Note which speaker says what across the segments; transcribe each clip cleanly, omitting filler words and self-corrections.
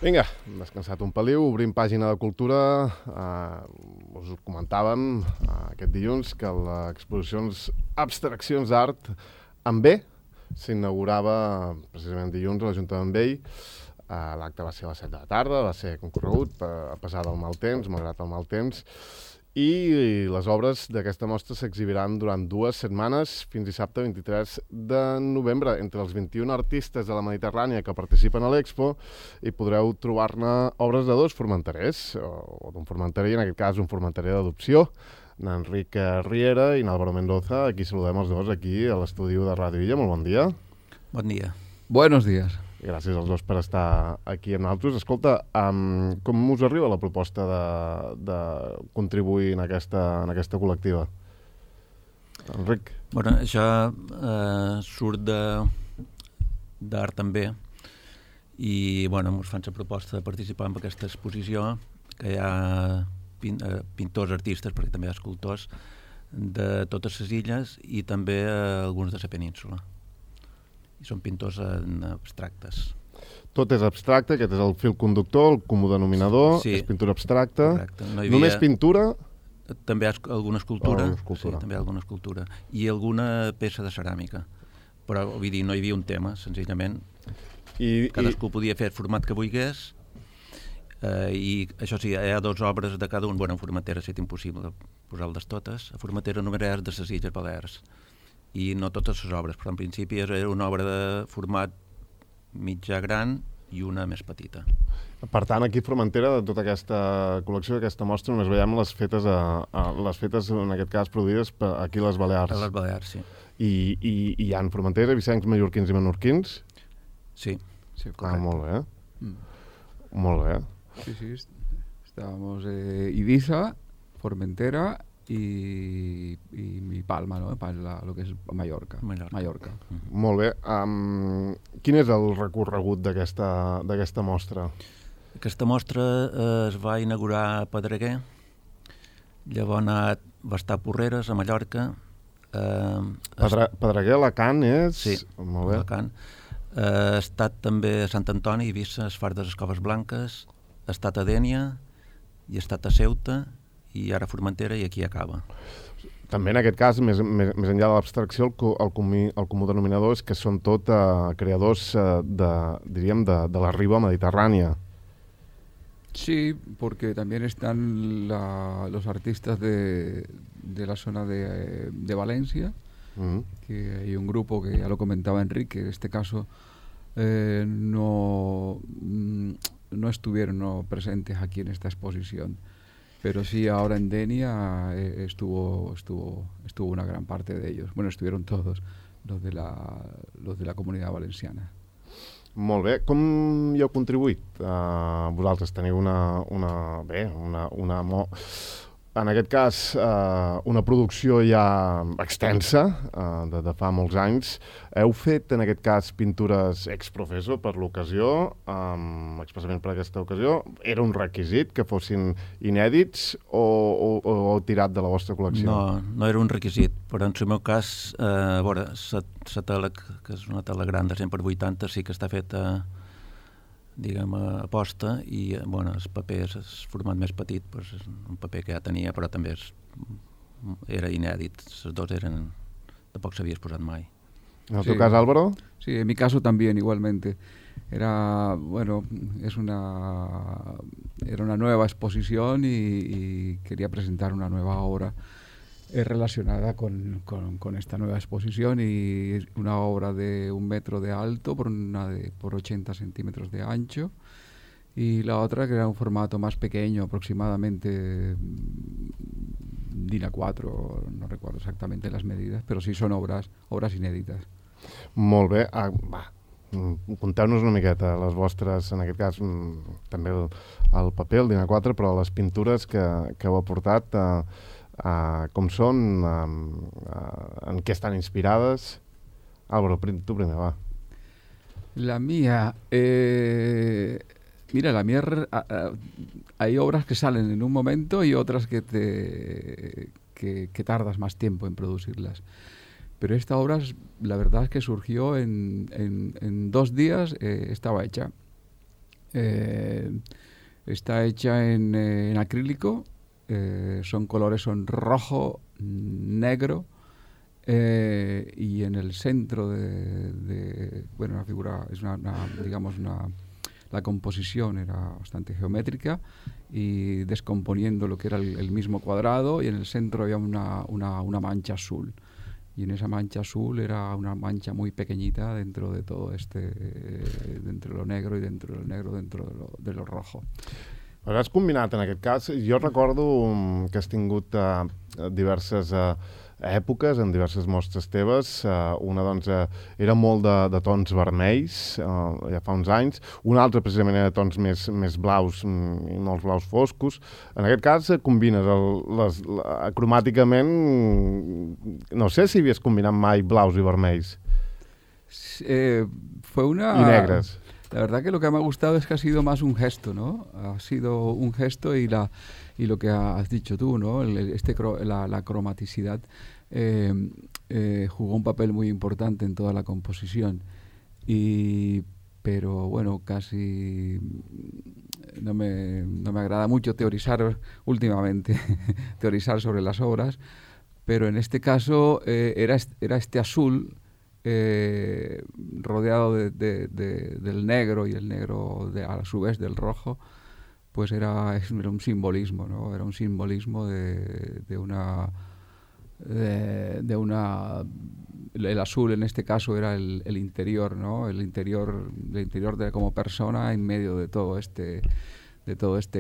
Speaker 1: Vinga, descansat un peliu, obrim pàgina de cultura. Us comentàvem aquest dilluns que l'exposicions Abstraccions d'Art en B s'inaugurava precisament dilluns a l'Ajuntament Vell. L'acte va ser a les 7 de la tarda, va ser concorregut a pesar del mal temps, malgrat el mal temps, i les obres d'aquesta mostra s'exhibiran durant 2 setmanes, fins dissabte 23 de novembre. Entre els 21 artistes de la Mediterrània que participen a l'Expo hi podreu trobar-ne obres de 2 formenterers, o d'un formenterer, en aquest cas un formenterer d'adopció, n'Enric Riera i n'Álvaro Mendoza. Aquí saludem els dos aquí a l'estudi de Ràdio Illa. Molt bon dia.
Speaker 2: Bon dia.
Speaker 3: Buenos días.
Speaker 1: Gràcies als dos per estar aquí amb nosaltres. Escolta, com us arriba la proposta de contribuir en aquesta col·lectiva? Enric?
Speaker 2: Bueno, això surt d'Art també i bueno, ens fan la proposta de participar en aquesta exposició, que hi ha pintors, artistes, perquè també hi ha escultors de totes les illes i també alguns de la península. I són pintors abstractes.
Speaker 1: Tot és abstracte, aquest és el fil conductor, el comú denominador,
Speaker 2: sí,
Speaker 1: és pintura abstracta.
Speaker 2: No
Speaker 1: Només pintura?
Speaker 2: També hi ha alguna escultura.
Speaker 1: Sí,
Speaker 2: també hi ha alguna escultura. I alguna peça de ceràmica. Però, vull dir, no hi havia un tema, senzillament. Cadascú podia fer el format que volgués, i això sí, hi ha 2 obres de cada un. Bueno, en Formentera ha estat impossible posar-les totes. A Formentera només és de les Illes Balears. I no totes les obres, però en principi era una obra de format mitjà gran i una més petita.
Speaker 1: Per tant, aquí a Formentera, de tota aquesta col·lecció, d'aquesta mostra, només veiem les fetes, en aquest cas, produïdes aquí a les Balears.
Speaker 2: A les Balears, sí.
Speaker 1: I hi ha en Formentera, vicencs, mallorquins i menorquins?
Speaker 2: Sí.
Speaker 3: Sí, correcto.
Speaker 1: Molt bé. Molt bé.
Speaker 3: Sí, estábamos Ibiza, Formentera y Palma, ¿no? Lo que es Mallorca.
Speaker 1: Molt bé. Quin és el recorregut d'aquesta mostra?
Speaker 2: Aquesta mostra es va inaugurar a Pedreguer, llavors va estar a Porreres, a Mallorca.
Speaker 1: Pedreguer, Alacant és?
Speaker 2: Sí,
Speaker 1: molt bé.
Speaker 2: Alacant. Ha estat també a Sant Antoni, Eivissa, es Far de les Coves Blanques, ha estat a Dénia i ha estat a Ceuta, i ara Formentera, i aquí acaba.
Speaker 1: També en aquest cas, més enllà de l'abstracció, el comú denominador és que són tot creadors, diríem, de la riba mediterrània.
Speaker 3: Sí, porque también están los artistas de la zona de Valencia, que hay un grupo que ya lo comentaba Enrique, en este caso no estuvieron presentes aquí en esta exposición. Pero sí, ahora en Denia estuvo una gran parte de ellos. Bueno, estuvieron todos los de la comunidad valenciana.
Speaker 1: Molt bé. Com hi heu contribuït? Vosaltres teniu en aquest cas, una producció ja extensa, de fa molts anys. Heu fet, en aquest cas, pintures ex professo per l'ocasió, expressament per aquesta ocasió. Era un requisit que fossin inèdits o heu tirat de la vostra col·lecció?
Speaker 2: No era un requisit, però en el meu cas, a veure, la tela, que és una tela gran de 100x80, sí que està feta, diguem, a posta, i bueno, el paper és format més petit, doncs és un paper que ja tenia, però també era inèdit. Les 2 eren, tampoc s'havia posat mai.
Speaker 1: En el teu cas, Álvaro?
Speaker 3: Sí, en mi caso también, igualmente. Era una nueva exposición y quería presentar una nueva obra relacionada con esta nueva exposición, y una obra de 1 metro de alto por 80 centímetros de ancho, y la otra que era un formato más pequeño, aproximadamente DIN A4, no recuerdo exactamente las medidas, pero sí son obras inéditas.
Speaker 1: Molt bé. Conteu-nos una miqueta les vostres, en aquest cas també el paper, el DIN A4, però les pintures que heu aportat, com són, en què estan inspirades. Álvaro, tu primer, va.
Speaker 3: La mía, mira, hay obras que salen en un momento y otras que tardas más tiempo en producirlas. Pero esta obra, la verdad es que surgió en 2 días, estaba hecha. Está hecha en acrílico, son colores, son rojo, negro, y en el centro bueno, la figura es la composición era bastante geométrica y descomponiendo lo que era el mismo cuadrado, y en el centro había una mancha azul. Y en esa mancha azul era una mancha muy pequeñita dentro de todo dentro de lo negro y dentro del negro, dentro de lo rojo.
Speaker 1: Però has combinat, en aquest cas, jo recordo que has tingut diverses èpoques, en diverses mostres teves. Una, doncs, era molt de tons vermells, ja fa uns anys. Una altra, precisament, era de tons més blaus, i molts blaus foscos. En aquest cas, combines cromàticament... No sé si havies combinat mai blaus i vermells.
Speaker 3: Fue una...
Speaker 1: Y negras.
Speaker 3: La verdad que lo que me ha gustado es que ha sido más un gesto, ¿no? Ha sido un gesto y lo que has dicho tú, ¿no? La cromaticidad jugó un papel muy importante en toda la composición. Pero bueno, casi no me agrada mucho teorizar últimamente, teorizar sobre las obras, pero en este caso era este azul rodeado del negro, y el negro a su vez del rojo, pues era un simbolismo, ¿no? Era un simbolismo de una el azul en este caso era el interior, ¿no? El interior de como persona en medio de todo este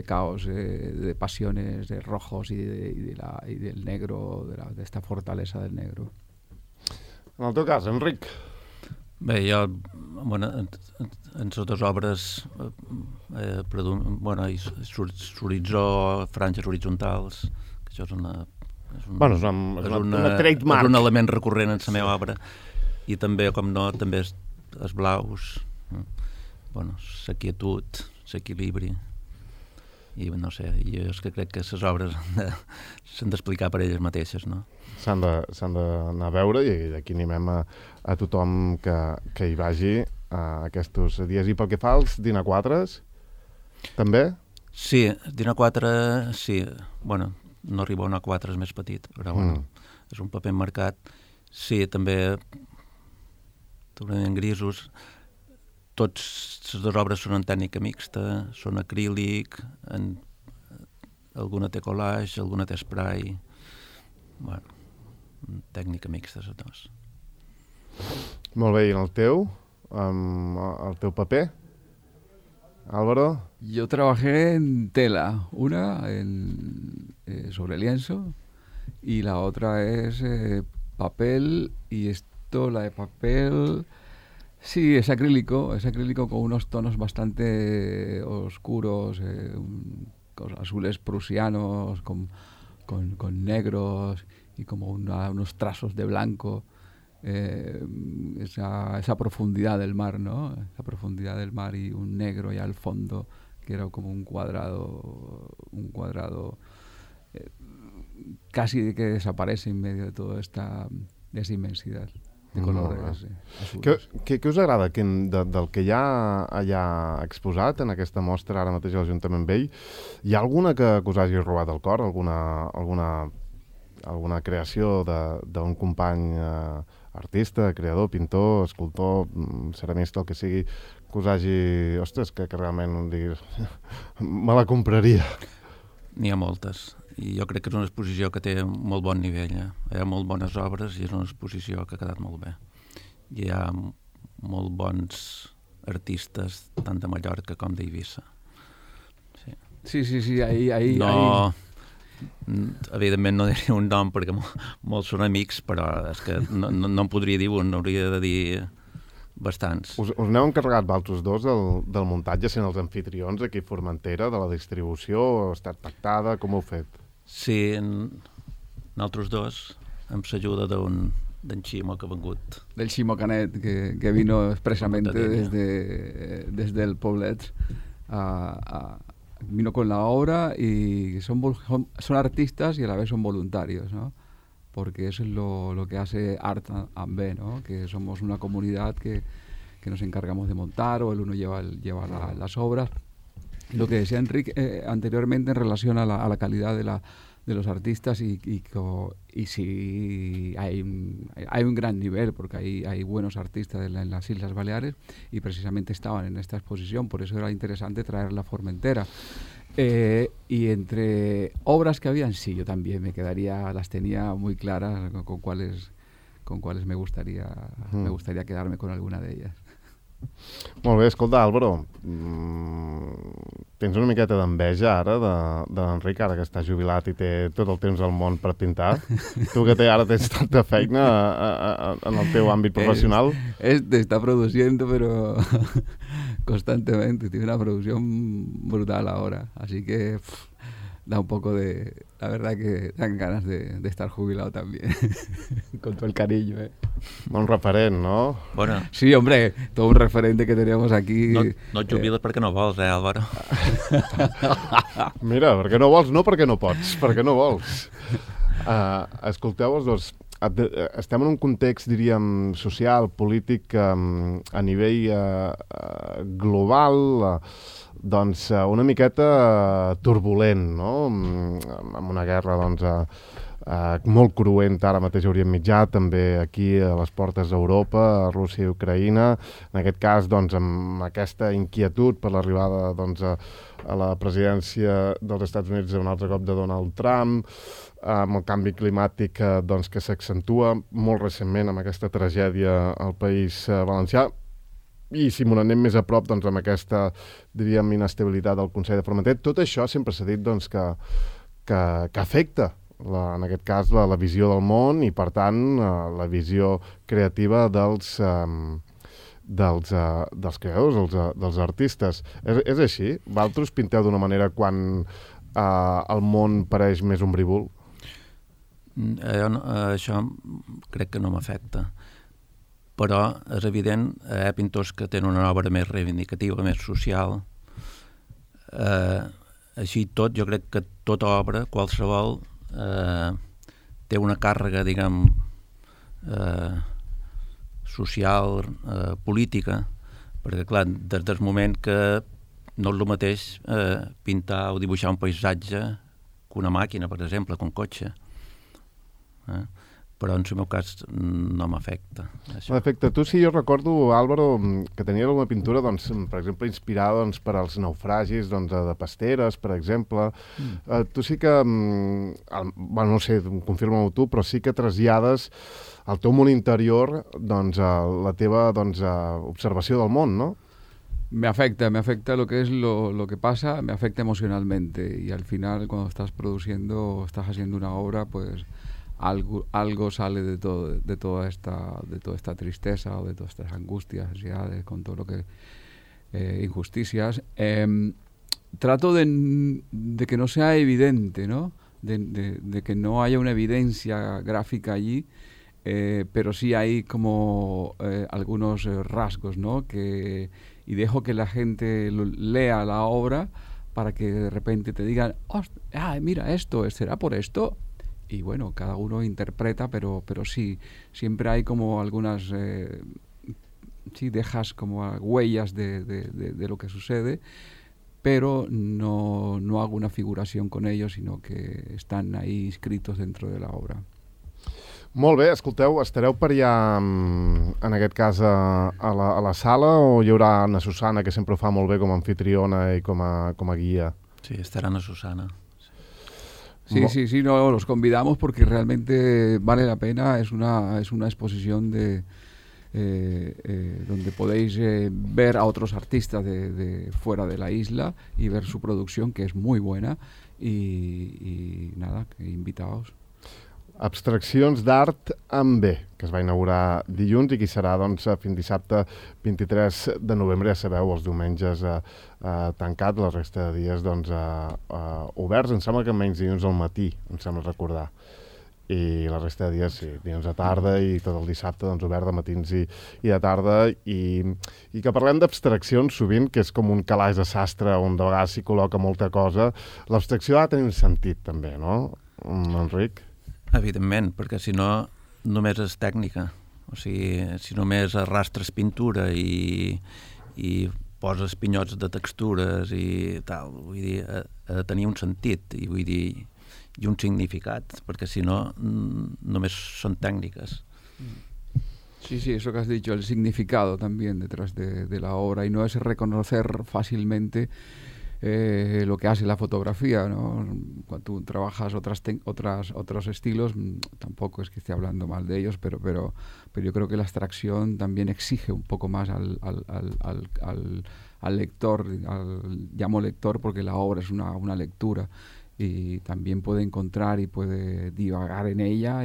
Speaker 3: caos de pasiones, de rojos y del negro, de esta fortaleza del negro.
Speaker 1: En el teu cas, Enric.
Speaker 2: Bé, jo, bueno, en les dues obres, l'horitzó, franges horitzontals, que això és una
Speaker 1: trademark.
Speaker 2: És un element recurrent en la meva obra, i també, com no, també els blaus, bueno, la quietud, l'equilibri, i no sé, jo és que crec que les obres s'han d'explicar per elles mateixes, no?
Speaker 1: S'han d'anar a veure, i d'aquí animem a tothom que hi vagi aquests dies. I pel que fa als Dina 4s, també?
Speaker 2: Sí, Dina 4, sí. Bueno, no arriba a una 4, és més petit, però bueno, és un paper marcat. Sí, també totalment grisos. Tots les dues obres són en tècnica mixta, són acrílic, alguna té collage, alguna té spray. Bueno, tècnica mixta, les dues.
Speaker 1: Molt bé, i en el teu paper, Álvaro?
Speaker 3: Yo trabajé en tela, una sobre lienzo y la otra es papel, y la de papel, sí, es acrílico con unos tonos bastante oscuros, azules prusianos con negros y como unos trazos de blanco. Esa profundidad del mar, ¿no? Esa profundidad del mar y un negro ya al fondo, que era como un cuadrado casi que desaparece en medio de toda esa inmensidad de colores azules.
Speaker 1: Què us agrada del que hi ha allà exposat en aquesta mostra ara mateix a l'Ajuntament Vell? Hi ha alguna que us hagi robat el cor? Alguna creació d'un company artista, creador, pintor, escultor, ceramista, el que sigui, que us hagi... Ostres, que realment diguis... me la compraria.
Speaker 2: N'hi ha moltes. I jo crec que és una exposició que té molt bon nivell. Hi ha molt bones obres i és una exposició que ha quedat molt bé. Hi ha molt bons artistes, tant de Mallorca com d'Eivissa.
Speaker 3: Sí, ahí...
Speaker 2: No... Evidentment no diria un nom perquè molts són amics, però és que no en podria dir un, hauria de dir bastants.
Speaker 1: Us n'heu encarregat vosaltres dos del muntatge, sent els anfitrions aquí a Formentera, de la distribució? Ha estat pactada? Com ho heu fet?
Speaker 2: Sí, nosaltres dos, amb l'ajuda d'en Ximo, que ha vengut.
Speaker 3: Del Ximo Canet, que vino expresamente desde el Poblet vino con la obra, y son artistas y a la vez son voluntarios, ¿no? Porque eso es lo que hace Art and B, ¿no? Que somos una comunidad que nos encargamos de montar, o el uno lleva las obras. Lo que decía Enrique anteriormente en relación a la calidad de los artistas y sí hay un gran nivel, porque hay buenos artistas en las Islas Baleares, y precisamente estaban en esta exposición, por eso era interesante traer la Formentera. Y entre obras que habían, sí, yo también las tenía muy claras con cuáles me gustaría quedarme con alguna de ellas.
Speaker 1: Molt bé, escolta, Álvaro, tens una miqueta d'enveja ara de l'Enric, ara que està jubilat i té tot el temps al món per pintar? Tu que ara tens tanta feina en el teu àmbit profesional.
Speaker 3: Está produciendo, pero constantemente, tiene una producción brutal ahora, así que da un poco la verdad que dan ganas de estar jubilado también, con todo el cariño,
Speaker 1: Un referent, no?
Speaker 2: Bueno.
Speaker 3: Sí, hombre, todo un referente que teníamos aquí.
Speaker 2: No et jubiles perquè no vols, Álvaro?
Speaker 1: Mira, perquè no vols, no perquè no pots, perquè no vols. Escolteu els dos, estem en un context, diríem, social, polític, a nivell global, doncs una miqueta turbulent, no? Amb una guerra, doncs, molt cruenta ara mateix a Orient Mitjà, també aquí a les portes d'Europa, a Rússia i Ucraïna. En aquest cas, doncs, amb aquesta inquietud per l'arribada, doncs, a la presidència dels Estats Units un altre cop de Donald Trump, amb el canvi climàtic doncs, que s'accentua molt recentment amb aquesta tragèdia al País Valencià, i si m'ho anem més a prop, doncs, amb aquesta, diríem, inestabilitat del Consell de Formentera. Tot això sempre s'ha dit, doncs, que afecta, en aquest cas, la visió del món i, per tant, la visió creativa dels creadors, dels artistes. És així? Vosaltres pinteu d'una manera quan el món pareix més ombrívol?
Speaker 2: Això crec que no m'afecta. Però és evident, hi ha pintors que tenen una obra més reivindicativa, més social. Així tot, jo crec que tota obra, qualsevol, té una càrrega, diguem, social, política, perquè, clar, des del moment que no és el mateix pintar o dibuixar un paisatge que una màquina, per exemple, que un cotxe. Però en el meu cas no m'afecta.
Speaker 1: M'afecta. Tu sí, jo recordo, Álvaro, que tenia alguna pintura, doncs, per exemple, inspirada doncs, per als naufragis doncs, de Pasteres, per exemple. Tu sí que, bueno, no sé, confirma-ho tu, però sí que trasllades al teu món interior doncs, la teva doncs, observació del món, no?
Speaker 3: Me afecta lo que es lo que pasa, me afecta emocionalmente, y al final cuando estás produciendo, estás haciendo una obra, pues algo sale de toda esta tristeza o de todas estas angustias, ansiedades, con todo lo que injusticias. Trato de que no sea evidente, ¿no? De que no haya una evidencia gráfica allí, pero sí hay como algunos rasgos, ¿no? Y dejo que la gente lea la obra para que de repente te digan, mira esto, ¿será por esto? Y bueno, cada uno interpreta, pero sí, siempre hay como algunas, sí, dejas como huellas de lo que sucede, pero no hago una figuración con ellos, sino que están ahí inscritos dentro de la obra.
Speaker 1: Molt bé, escolteu, estareu per allà, en aquest cas, a la sala, o hi haurà Ana Susana, que sempre ho fa molt bé com a anfitriona i com a guia?
Speaker 2: Sí, estarà Ana Susana.
Speaker 3: Sí, no, los convidamos porque realmente vale la pena, es una exposición donde podéis ver a otros artistas de fuera de la isla y ver su producción, que es muy buena, y nada, invitaos.
Speaker 1: Abstraccions d'art amb B, que es va inaugurar dilluns i que serà doncs, fins dissabte 23 de novembre, ja sabeu, els diumenges tancat, la resta de dies doncs, oberts. Em sembla que menys dilluns al matí, em sembla recordar. I la resta de dies, sí, dilluns a tarda i tot el dissabte doncs, obert de matins i de tarda. I que parlem d'abstraccions sovint, que és com un calaix de sastre on de vegades s'hi col·loca molta cosa. L'abstracció ha de tenir un sentit també, no, Enric?
Speaker 2: Evidentment, perquè si no només és tècnica O sigui, si només arrastres pintura i poses pinyots de textures i tal, vull dir, ha de tenir un sentit i vull dir, i un significat, perquè si no, només son técnicas.
Speaker 3: Sí, eso que has dicho, el significado también detrás de la obra, y no es reconocer fácilmente lo que hace la fotografía, ¿no? Cuando tú trabajas otros estilos, tampoco es que esté hablando mal de ellos, pero yo creo que la abstracción también exige un poco más al lector, llamo lector porque la obra es una lectura, y también puede encontrar y puede divagar en ella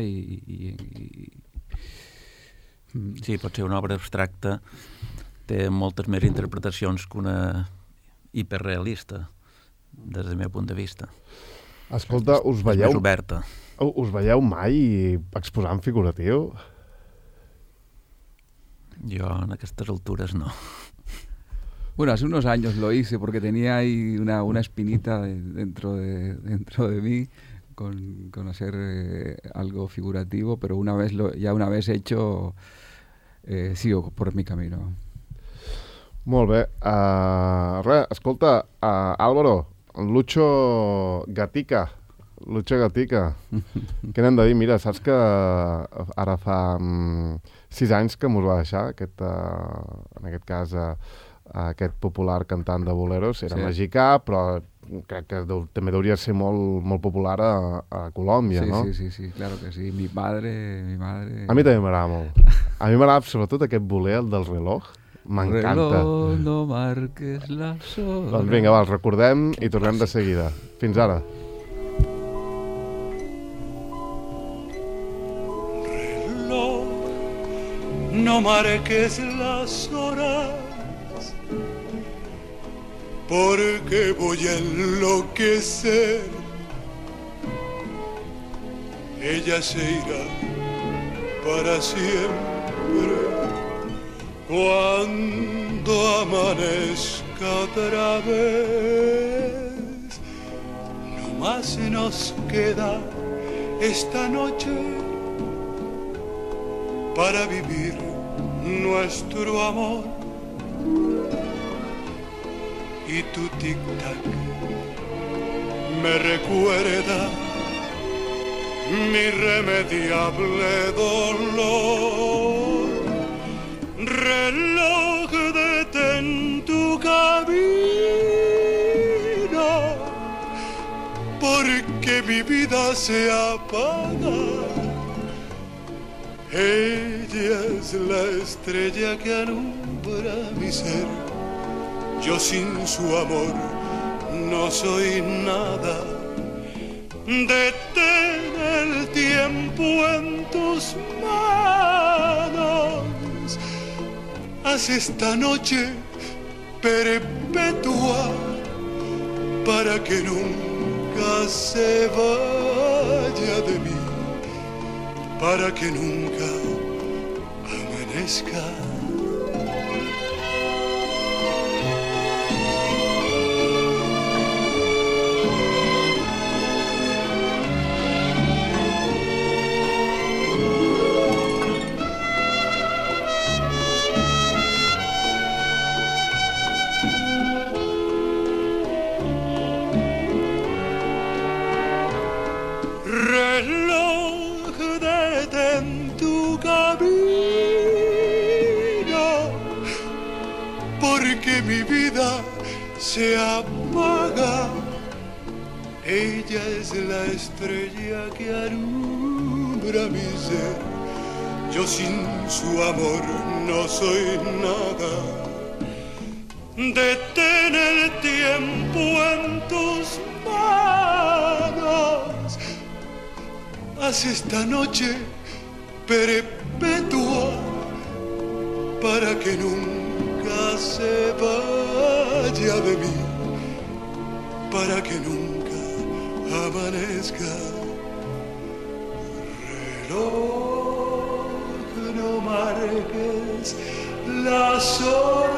Speaker 2: Sí, pot ser una obra abstracta, té moltes més interpretacions que una hiperrealista, des del meu punt de vista.
Speaker 1: Escolta, us veieu mai exposant figuratiu?
Speaker 2: Jo en aquestes altures no.
Speaker 3: Bueno, hace unos años lo hice porque tenía ahí una espinita dentro de mí con hacer algo figurativo, pero una vez hecho, sigo por mi camino.
Speaker 1: Molt bé. Escolta, Álvaro, Lucho Gatica, què n'hem de dir? Mira, saps que ara fa 6 anys que mos va deixar, en aquest cas, aquest popular cantant de boleros, era mexicà, però crec que també hauria ser molt popular a Colòmbia, no?
Speaker 3: Sí, claro que sí. Mi madre...
Speaker 1: A mi també m'agrada molt. A mi m'agrada sobretot aquest boler, el del reloj. M'encanta.
Speaker 3: Reloj, no marques las horas.
Speaker 1: Doncs vinga, va, els recordem i tornem de seguida. Fins ara.
Speaker 4: Reloj, no marques las horas, porque voy a enloquecer. Ella se irá para siempre cuando amanezca otra vez. No más nos queda esta noche para vivir nuestro amor. Y tu tic-tac me recuerda mi irremediable dolor. Reloj, detén tu camino, porque mi vida se apaga. Ella es la estrella que alumbra mi ser. Yo sin su amor no soy nada. Detén el tiempo en tus manos. Haz esta noche perpetua para que nunca se vaya de mí, para que nunca amanezca. Mi vida se apaga. Ella es la estrella que alumbra mi ser. Yo sin su amor no soy nada. Detén el tiempo en tus manos. Haz esta noche perpetua para que nunca se vaya de mí, para que nunca amanezca. Reloj, no marques las horas.